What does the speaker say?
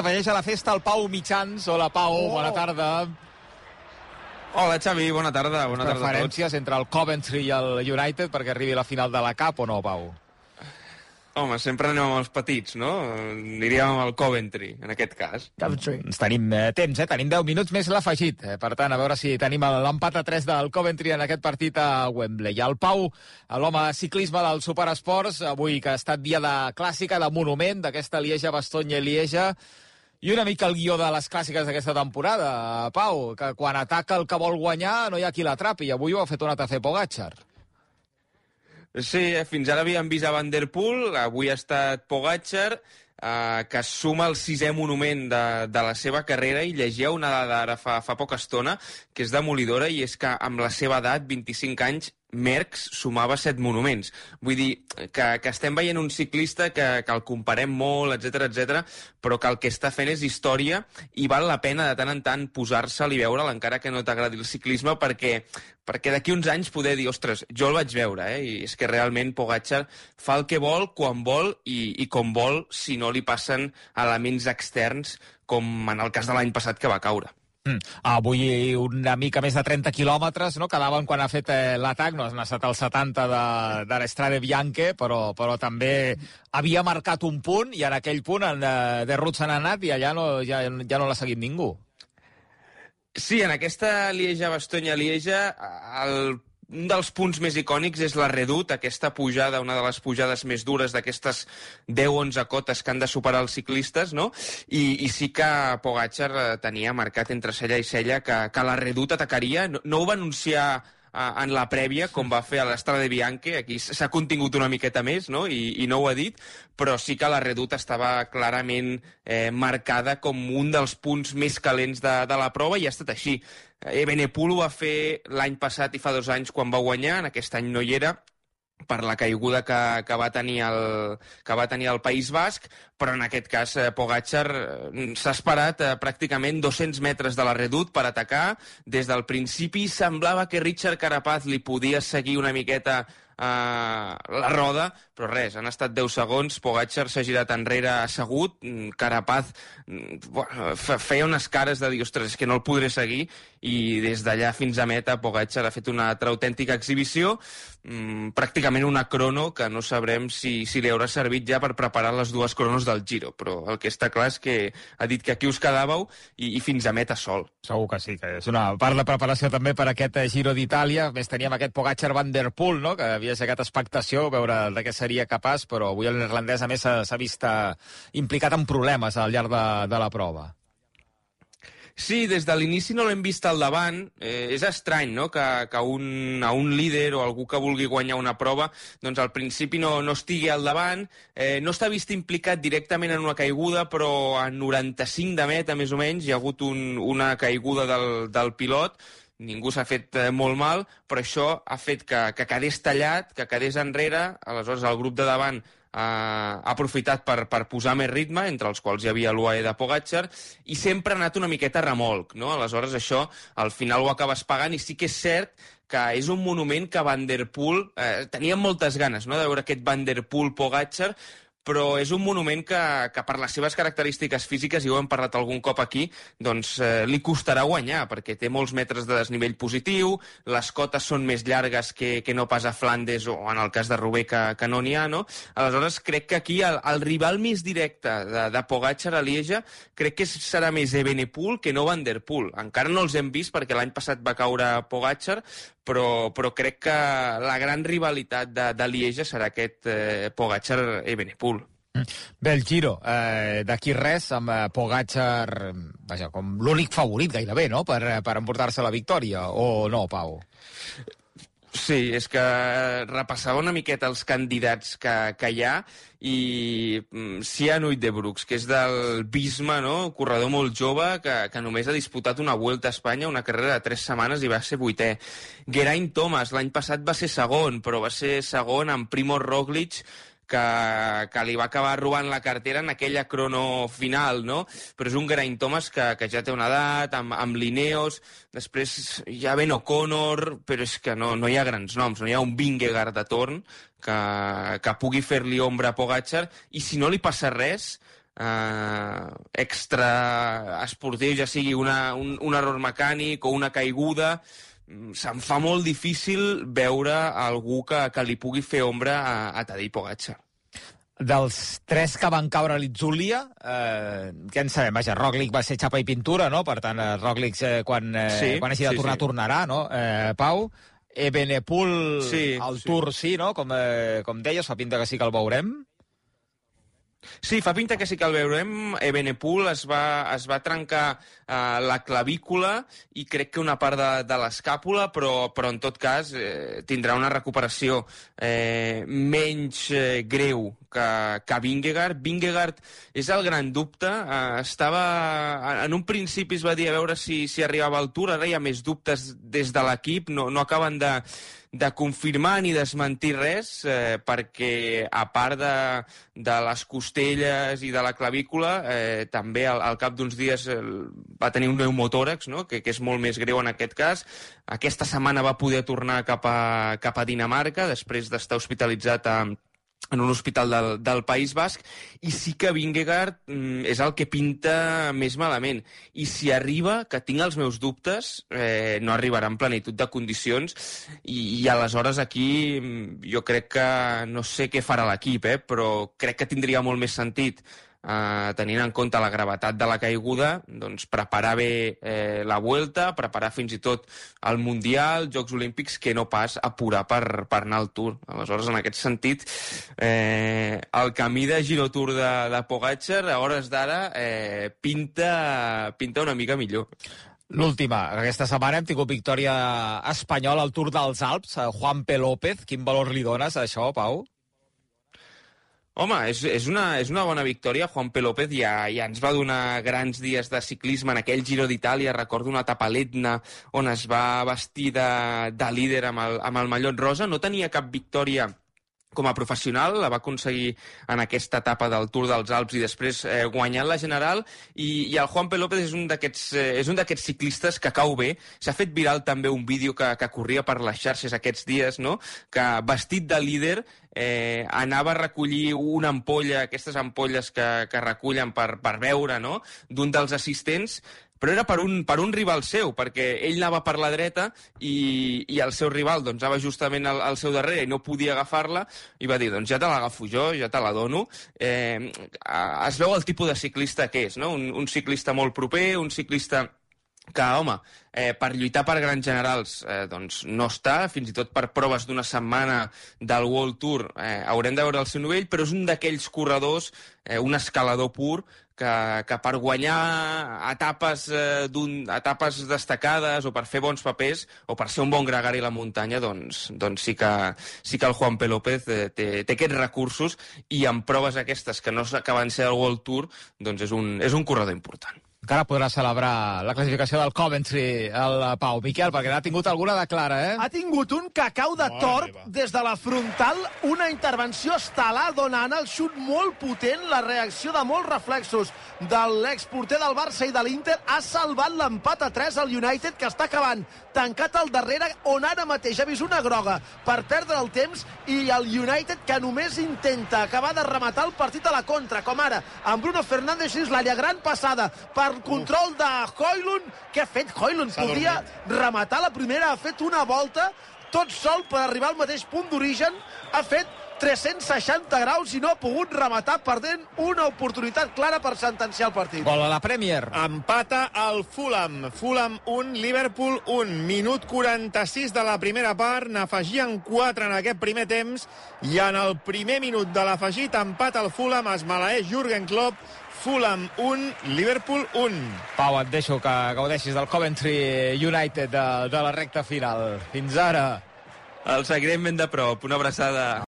S'afegeix a la festa el Pau Mitjans. Hola, Pau, bona tarda. Hola, Xavi, bona tarda. Bona tarda a tots. Preferències entre el Coventry i el United perquè arribi a la final de la Cup o no, Pau? Home, sempre anem amb els petits, no? Aniríem amb el Coventry, en aquest cas. Coventry. Tenim temps, tenim 10 minuts més l'afegit. Per tant, a veure si tenim l'empat a 3 del Coventry en aquest partit a Wembley. I el Pau, l'home ciclisme del Superesports, avui que ha estat dia de clàssica, de monument, d'aquesta Lieja-Bastogne-Lieja, i una mica el guió de les clàssiques d'aquesta temporada, Pau, que quan ataca el que vol guanyar no hi ha qui l'atrapi, i avui ho ha fet un ATC Pogačar. Sí, fins ara havíem vist a Van der Poel, avui ha estat Pogačar, que suma el 6è monument de la seva carrera, i llegia una dada ara fa poca estona, que és demolidora, i és que amb la seva edat, 25 anys, Merckx sumava 7 monuments. Vull dir que estem veient un ciclista que el comparem molt, etc, però que el que està fent és història, i val la pena de tant en tant posar-se'l i veure'l, encara que no t'agradi el ciclisme, perquè d'aquí uns anys poder dir, ostres, jo el vaig veure, i és que realment Pogačar fa el que vol, quan vol i com vol, si no li passen elements externs, com en el cas de l'any passat que va caure. Avui una mica més de 30 quilòmetres, no? Quedaven quan ha fet l'atac, no ha estat el 70 de l'Estrade Bianche, però també havia marcat un punt, i en aquell punt de Ruud se n'ha anat i allà ja no l'ha seguit ningú. Sí, en aquesta Lieja-Bastogne-Lieja, un dels punts més icònics és la Redoute, aquesta pujada, una de les pujades més dures d'aquestes 10-11 cotes que han de superar els ciclistes, no? I sí que Pogačar tenia marcat entre cella i cella que la Redoute atacaria. No ho va anunciar en la prèvia, com va fer a l'Estrade Bianche. Aquí s'ha contingut una miqueta més, no? I no ho ha dit, però sí que la Redoute estava clarament marcada com un dels punts més calents de la prova, i ha estat així. Evenepoel ho va fer l'any passat i fa 2 anys quan va guanyar, en aquest any no hi era, per la caiguda que va tenir el País Basc, però en aquest cas Pogačar s'ha esperat pràcticament 200 metres de la Redoute per atacar. Des del principi semblava que Richard Carapaz li podia seguir una miqueta la roda, però res, han estat 10 segons, Pogačar s'ha girat enrere assegut, Carapaz feia unes cares de dir, ostres, és que no el podré seguir, i des d'allà fins a meta Pogačar ha fet una altra autèntica exhibició, pràcticament una crono que no sabrem si li haurà servit ja per preparar les 2 cronos del Giro, però el que està clar és que ha dit que aquí us quedàveu i fins a meta sol. Segur que sí, que és una part de preparació també per aquest Giro d'Itàlia. A més, teníem aquest Pogačar Van der Poel, no?, que havia aixecat expectació, veure de què seria capaç, però avui el neerlandès a més s'ha vist implicat en problemes al llarg de la prova. Sí, des de l'inici no l'hem vist al davant. És estrany, no?, que a un líder o algú que vulgui guanyar una prova, doncs al principi no estigui al davant. No està vist implicat directament en una caiguda, però a 95 de meta, més o menys, hi ha hagut una caiguda del pilot. Ningú s'ha fet molt mal, però això ha fet que quedés tallat, que quedés enrere. Aleshores el grup de davant ha aprofitat per posar més ritme, entre els quals hi havia l'UAE de Pogačar, i sempre ha anat una miqueta a remolc, no? Aleshores això al final ho acabes pagant, i sí que és cert que és un monument que Van der Poel tenia moltes ganes, no?, de veure aquest Van der Poel-Pogačar, però és un monument que per les seves característiques físiques, i ho hem parlat algun cop aquí, doncs li costarà guanyar, perquè té molts metres de desnivell positiu, les cotes són més llargues que no pas a Flandes o en el cas de Roubaix que no n'hi ha, no? Aleshores crec que aquí el rival més directe de Pogačar a Lieja crec que serà més Evenepoel que no Van der Poel. Encara no els hem vist perquè l'any passat va caure Pogačar, però crec que la gran rivalitat de Lieja serà aquest Pogačar-Evenepoel. Bé, el Giro, d'aquí res, amb Pogačar, vaja, com l'únic favorit gairebé, no?, per emportar-se la victòria, o no, Pau? Sí, és que repassava una miqueta els candidats que hi ha, i Sian Uijtdebroeks, que és del Visma, no?, corredor molt jove que només ha disputat una Vuelta a Espanya, una carrera de 3 setmanes, i va ser 8è. Geraint Thomas, l'any passat va ser segon, però va ser segon amb Primož Roglič, que li va acabar robant la cartera en aquella crono final, no? Però és un Geraint Thomas que ja té una edat, amb l'Ineos, després hi ha Ben O'Connor, però és que no hi ha grans noms, no hi ha un Vingegaard de torn que pugui fer-li ombra a Pogačar, i si no li passa res, extra esportiu, ja sigui un error mecànic o una caiguda, se'm fa molt difícil veure algú que li pugui fer ombra a Tadej Pogačar. Dels 3 que van caure a l'Itzulia, què en sabem? Vaja, Roglic va ser xapa i pintura, no? Per tant, Roglic, quan hagi de tornar, tornarà, no? Pau, Evenepoel al Tour, sí, no? Com deies, fa pinta que sí que el veurem. Sí, fa pinta que sí que el veurem. Evenepoel es va trencar la clavícula i crec que una part de l'escàpula, però en tot cas tindrà una recuperació menys greu que Vingegaard. Vingegaard és el gran dubte. En un principi es va dir a veure si arribava al Tour, ara hi ha més dubtes des de l'equip, no acaben de confirmar ni desmentir res, perquè a part de les costelles i de la clavícula, també al cap d'uns dies va tenir un pneumotòrax, no? que és molt més greu en aquest cas. Aquesta setmana va poder tornar cap a Dinamarca, després d'estar hospitalitzat en un hospital del País Basc, i sí que Vingegaard és el que pinta més malament. I si arriba, que tinc els meus dubtes, no arribarà en plenitud de condicions, i aleshores aquí jo crec que no sé què farà l'equip, però crec que tindria molt més sentit, tenint en compte la gravetat de la caiguda, doncs preparar bé la Vuelta, preparar fins i tot el Mundial, Jocs Olímpics, que no pas apurar per anar al Tour. Aleshores, en aquest sentit, el camí de Giro Tour de Pogačar, a hores d'ara, pinta una mica millor. L'última. Aquesta setmana hem tingut victòria espanyola al Tour dels Alps, Juan P. López. Quin valor li dones a això, Pau? Home, és una bona victòria. Juan P. López ja ens va donar grans dies de ciclisme en aquell Giro d'Itàlia. Recordo una etapa a l'Etna on es va vestir de líder amb el mallot rosa. No tenia cap victòria com a professional, la va aconseguir en aquesta etapa del Tour dels Alps i després guanyant la general, i el Juan P. López és un d'aquests ciclistes que cau bé. S'ha fet viral també un vídeo que corria per les xarxes aquests dies, no? Que vestit de líder anava a recollir una ampolla, aquestes ampolles que recullen per beure, no? D'un dels assistents, però era per un rival seu, perquè ell anava per la dreta i el seu rival doncs, anava justament al seu darrere i no podia agafar-la, i va dir, doncs ja te l'agafo jo, ja te la dono. Es veu el tipus de ciclista que és, no? Un ciclista molt proper, un ciclista que, home, per lluitar per grans generals doncs no està, fins i tot per proves d'una setmana del World Tour haurem de veure el seu nivell, però és un d'aquells corredors, un escalador pur, que per guanyar etapes destacades o per fer bons papers o per ser un bon gregari a la muntanya, doncs sí que el Juan P. López té aquests recursos, i en proves aquestes que no acaben de ser el World Tour, doncs és un corredor important. Encara podrà celebrar la classificació del Coventry, el Pau. Miquel, perquè n'ha tingut alguna de clara, Ha tingut un cacau de tort des de la frontal, una intervenció estel·lar donant el xut molt potent, la reacció de molts reflexos de l'exporter del Barça i de l'Inter ha salvat l'empat a 3 al United, que està acabant tancat al darrere, on ara mateix ha vist una groga per perdre el temps, i el United que només intenta acabar de rematar el partit a la contra, com ara amb Bruno Fernández dins l'àrea, gran passada per control de Højlund. Què ha fet Højlund? Podia rematar la primera, ha fet una volta tot sol per arribar al mateix punt d'origen, ha fet 360 graus i no ha pogut rematar, perdent una oportunitat clara per sentenciar el partit. Gol a la Premier. Empata el Fulham. Fulham 1, Liverpool 1. Minut 46 de la primera part. N'afegien 4 en aquest primer temps, i en el primer minut de l'afegit empata el Fulham. Es maleeix Jürgen Klopp. Fulham 1, Liverpool 1. Pau, et deixo que gaudeixis del Coventry United de la recta final. Fins ara. El seguirem ben de prop. Una abraçada.